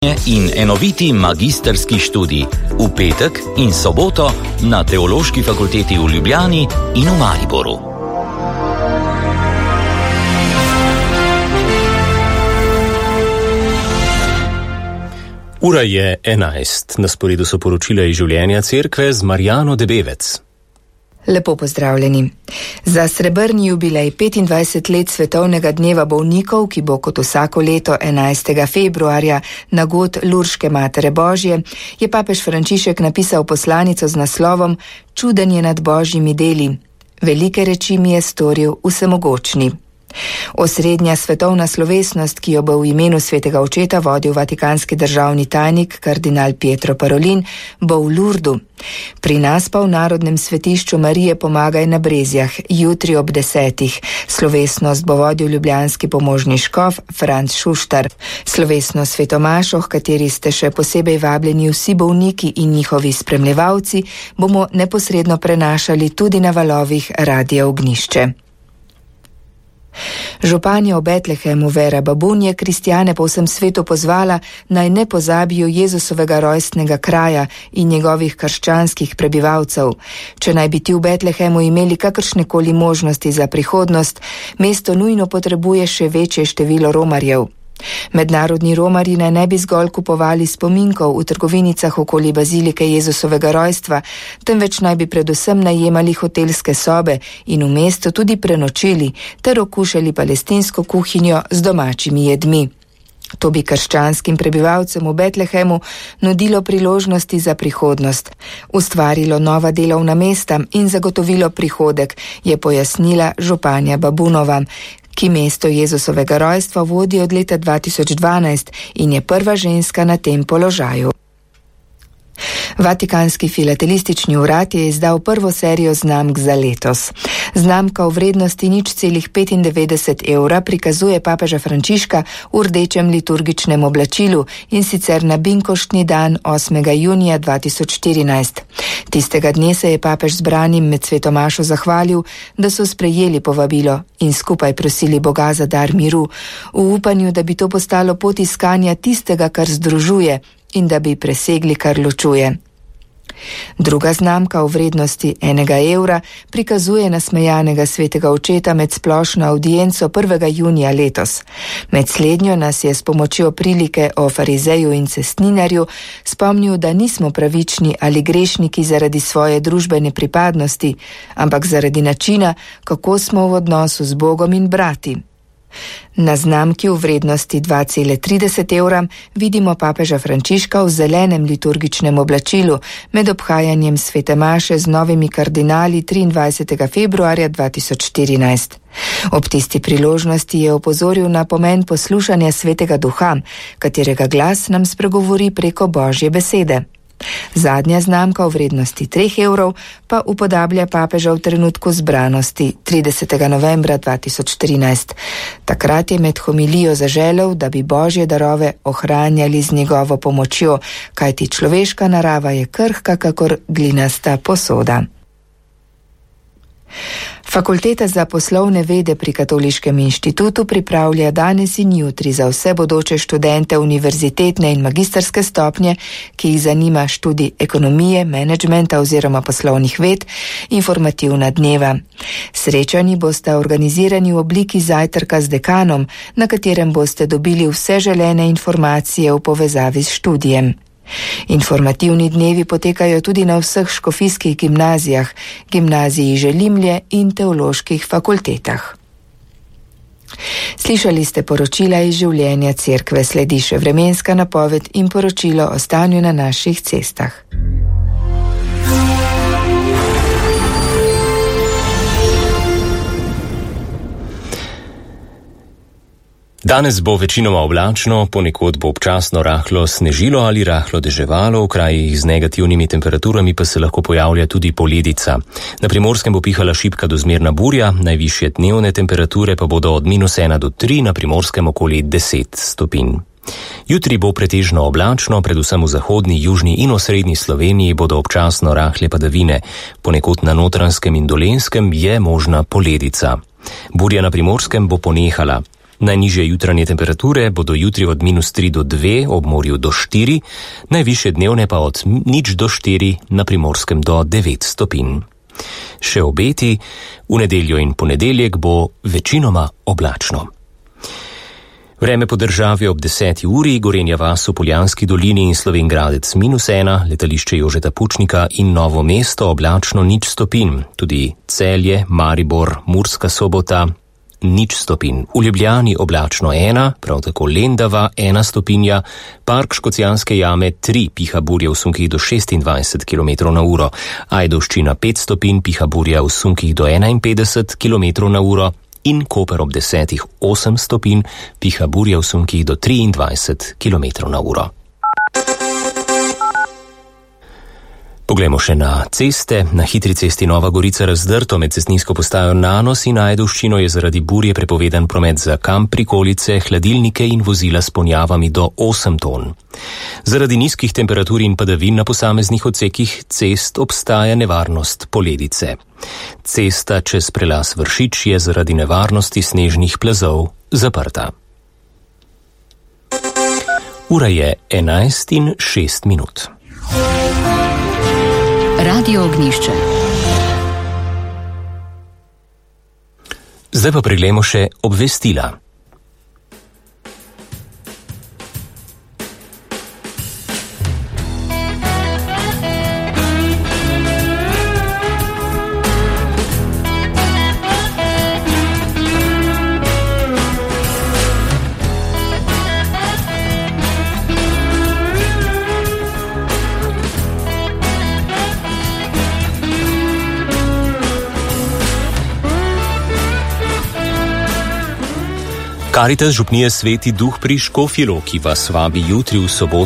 in enoviti magisterski študij v petek in soboto na Teološki fakulteti v Ljubljani in v Mariboru. Ura je 11. Na sporedu so poročila iz življenja cerkve z Marjano Debevec. Lepo pozdravljeni. Za srebrni jubilej 25 let svetovnega dneva bolnikov, ki bo kot vsako leto 11. februarja na god Lurške Matere Božje, je papež Frančišek napisal poslanico z naslovom Čuden je nad božjimi deli. Velike reči mi je storil vsemogočni. Osrednja svetovna slovesnost, ki jo bo v imenu svetega očeta vodil vatikanski državni tajnik kardinal Pietro Parolin, bo v Lurdu. Pri nas pa v Narodnem svetišču Marije Pomagaj na Brezjah, jutri ob 10. Slovesnost bo vodil ljubljanski pomožni škof Franc Šuštar. Slovesno svetomašo, v kateri ste še posebej vabljeni vsi bolniki in njihovi spremljevalci, bomo neposredno prenašali tudi na valovih Radia Ognišče. Županja v Betlehemu Vera Babun je kristjane po vsem svetu pozvala, naj ne pozabijo Jezusovega rojstnega kraja in njegovih krščanskih prebivalcev. Če naj bi ti v Betlehemu imeli kakršnekoli možnosti za prihodnost, mesto nujno potrebuje še večje število romarjev. Mednarodni romarji naj ne bi zgolj kupovali spominkov v trgovinicah okoli bazilike Jezusovega rojstva, temveč naj bi predvsem najemali hotelske sobe in v mestu tudi prenočili ter okušali palestinsko kuhinjo z domačimi jedmi. To bi krščanskim prebivalcem v Betlehemu nudilo priložnosti za prihodnost, ustvarilo nova delovna mesta in zagotovilo prihodek, je pojasnila županja Babunova, ki mesto Jezusovega rojstva vodi od leta 2012 in je prva ženska na tem položaju. Vatikanski filatelistični urad je izdal prvo serijo znamk za letos. Znamka v vrednosti 0,95 evra prikazuje papeža Frančiška v rdečem liturgičnem oblačilu in sicer na binkoštni dan 8. junija 2014. Tistega dne se je papež zbranim med svetomašo zahvalil, da so sprejeli povabilo in skupaj prosili Boga za dar miru, v upanju, da bi to postalo pot iskanja tistega, kar združuje in da bi presegli, kar ločuje. Druga znamka v vrednosti 1 evra prikazuje nasmejanega svetega očeta med splošno audienco 1. junija letos. Med slednjo nas je s pomočjo prilike o farizeju in cestninarju spomnil, da nismo pravični ali grešniki zaradi svoje družbene pripadnosti, ampak zaradi načina, kako smo v odnosu z Bogom in brati. Na znamki v vrednosti 2,30 evra vidimo papeža Frančiška v zelenem liturgičnem oblačilu med obhajanjem svete maše z novimi kardinali 23. februarja 2014. Ob tisti priložnosti je opozoril na pomen poslušanja svetega duha, katerega glas nam spregovori preko Božje besede. Zadnja znamka v vrednosti 3 evrov pa upodablja papeža v trenutku zbranosti 30. novembra 2013. Takrat je med homilijo zaželel, da bi Božje darove ohranjali z njegovo pomočjo, kajti človeška narava je krhka kakor glinasta posoda. Fakulteta za poslovne vede pri Katoliškem inštitutu pripravlja danes in jutri za vse bodoče študente univerzitetne in magisterske stopnje, ki jih zanima študij ekonomije, menedžmenta oziroma poslovnih ved, informativna dneva. Srečanji boste organizirani v obliki zajtrka z dekanom, na katerem boste dobili vse želene informacije v povezavi s študijem. Informativni dnevi potekajo tudi na vseh škofijskih gimnazijah, gimnaziji Želimlje in teoloških fakultetah. Slišali ste poročila iz življenja cerkve, sledi še vremenska napoved in poročilo o stanju na naših cestah. Danes bo večinoma oblačno, ponekod bo občasno rahlo snežilo ali rahlo deževalo, v krajih z negativnimi temperaturami pa se lahko pojavlja tudi poledica. Na Primorskem bo pihala šibka do zmerna burja, najvišje dnevne temperature pa bodo od -1 do 3, na Primorskem okoli 10 stopinj. Jutri bo pretežno oblačno, predvsem v zahodni, južni in osrednji Sloveniji bodo občasno rahle padavine. Ponekod na Notranjskem in Dolenjskem je možna poledica. Burja na Primorskem bo ponehala. Najnižje jutranje temperature bodo jutri od -3 do 2, ob morju do 4, najvišje dnevne pa od 0 do 4, na Primorskem do 9 stopinj. Še obeti, v nedeljo in ponedeljek bo večinoma oblačno. Vreme po državi ob 10. uri, Gorenja vas v Poljanski dolini in Slovenj Gradec -1, letališče Jožeta Pučnika in Novo mesto oblačno 0 stopinj, tudi Celje, Maribor, Murska Sobota 0 stopinj. V Ljubljani oblačno 1, prav tako Lendava 1 stopinja, Park Škocjanske jame 3, piha burja v sunkih do 26 km/h, Ajdovščina 5 stopinj, piha burja v sunkih do 51 km/h in Koper ob 10 8 stopinj, piha burja v sunkih do 23 km/h. Poglejmo še na ceste. Na hitri cesti Nova Gorica Razdrto med cestninsko postajo Nanos in Ajdovščino je zaradi burje prepovedan promet za kamp, prikolice, hladilnike in vozila s ponjavami do 8 ton. Zaradi nizkih temperatur in padavin na posameznih odsekih cest obstaja nevarnost poledice. Cesta čez prelaz Vršič je zaradi nevarnosti snežnih plazov zaprta. Ura je 11:06. Radio Ognjišče. Zdaj pa preglejmo še obvestila. Karitas župnije Sveti Duh pri Škofji Loki vas vabi jutri v soboto